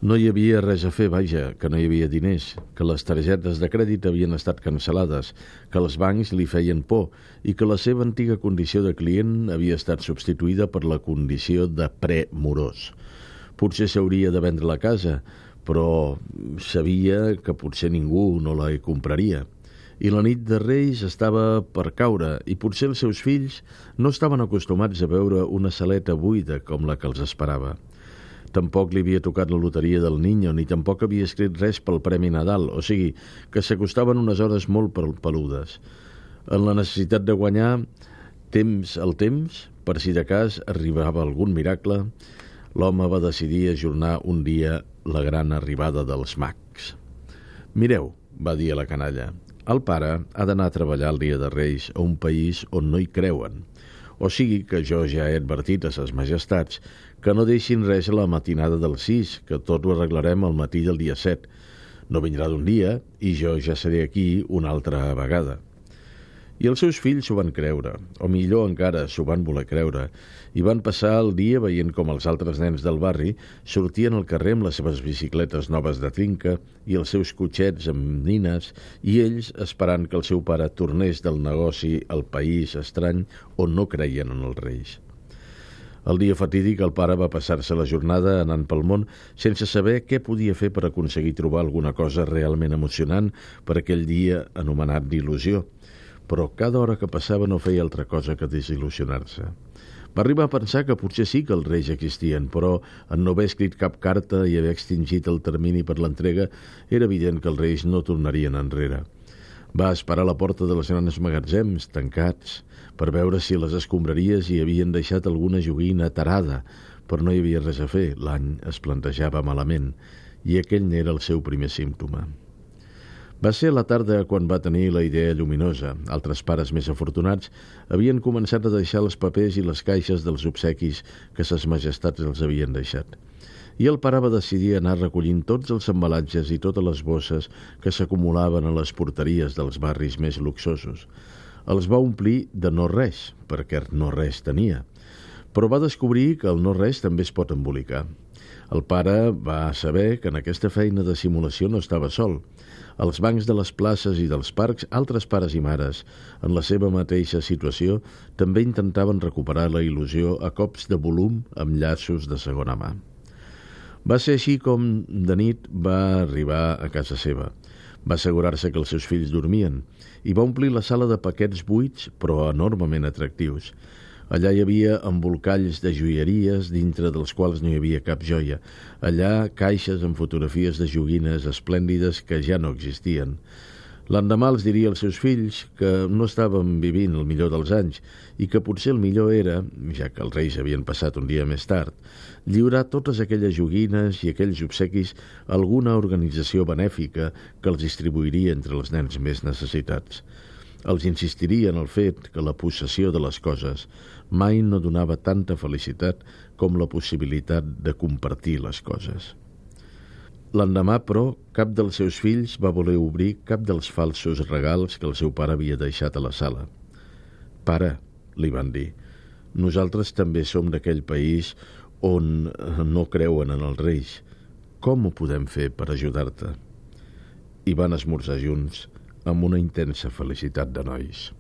No hi havia res a fer, vaja, que no hi havia diners, que les targetes de crèdit havien estat cancel·lades, que els bancs li feien por i que la seva antiga condició de client havia estat substituïda per la condició de premorós. Potser s'hauria de vendre la casa, però sabia que potser ningú no la compraria. I la nit de Reis estava per caure i potser els seus fills no estaven acostumats a veure una saleta buida com la que els esperava. Tampoc li havia tocat la loteria del Niño, ni tampoc havia escrit res pel Premi Nadal, o sigui, que s'acostaven unes hores molt peludes. En la necessitat de guanyar el temps, per si de cas arribava algun miracle, l'home va decidir ajornar un dia la gran arribada dels mags. «Mireu», va dir a la canalla, «el pare ha d'anar a treballar el dia de Reis a un país on no hi creuen. O sigui que jo ja he advertit a ses majestats que no deixin res a la matinada del 6, que tot ho arreglarem al matí del dia 7. No vindrà d'un dia i jo ja seré aquí una altra vegada». I els seus fills s'ho van creure, o millor encara, s'ho van voler creure, i van passar el dia veient com els altres nens del barri sortien al carrer amb les seves bicicletes noves de trinca i els seus cotxets amb nines, i ells esperant que el seu pare tornés del negoci al país estrany on no creien en els Reis. El dia fatídic el pare va passar-se la jornada anant pel món sense saber què podia fer per aconseguir trobar alguna cosa realment emocionant per aquell dia anomenat d'il·lusió. Però cada hora que passava no feia altra cosa que desil·lusionar-se. Va arribar a pensar que potser sí que els Reis existien, però en no haver escrit cap carta i haver extingit el termini per l'entrega, era evident que els Reis no tornarien enrere. Va esperar a la porta dels grans magatzems, tancats, per veure si a les escombraries hi havien deixat alguna joguina tarada, però no hi havia res a fer, l'any es plantejava malament, i aquell n'era el seu primer símptoma. Va ser a la tarda quan va tenir la idea lluminosa. Altres pares més afortunats havien començat a deixar els papers i les caixes dels obsequis que ses majestats els havien deixat. I el pare va decidir anar recollint tots els embalatges i totes les bosses que s'acumulaven a les porteries dels barris més luxosos. Els va omplir de no res, perquè no res tenia. Però va descobrir que el no res també es pot embolicar. El pare va saber que en aquesta feina de simulació no estava sol. Als bancs de les places i dels parcs, altres pares i mares, en la seva mateixa situació, també intentaven recuperar la il·lusió a cops de volum amb llaços de segona mà. Va ser així com de nit va arribar a casa seva. Va assegurar-se que els seus fills dormien i va omplir la sala de paquets buits però enormement atractius. Allà hi havia embolcalls de joieries, dintre dels quals no hi havia cap joia. Allà caixes amb fotografies de joguines esplèndides que ja no existien. L'endemà els diria als seus fills que no estaven vivint el millor dels anys i que potser el millor era, ja que els Reis havien passat un dia més tard, lliurar totes aquelles joguines i aquells obsequis a alguna organització benèfica que els distribuiria entre els nens més necessitats. Els insistiria en el fet que la possessió de les coses mai no donava tanta felicitat com la possibilitat de compartir les coses. L'endemà, però, cap dels seus fills va voler obrir cap dels falsos regals que el seu pare havia deixat a la sala. «Pare», li van dir, «nosaltres també som d'aquell país on no creuen en els Reis. Com ho podem fer per ajudar-te?» I van esmorzar junts amb una intensa felicitat de nois.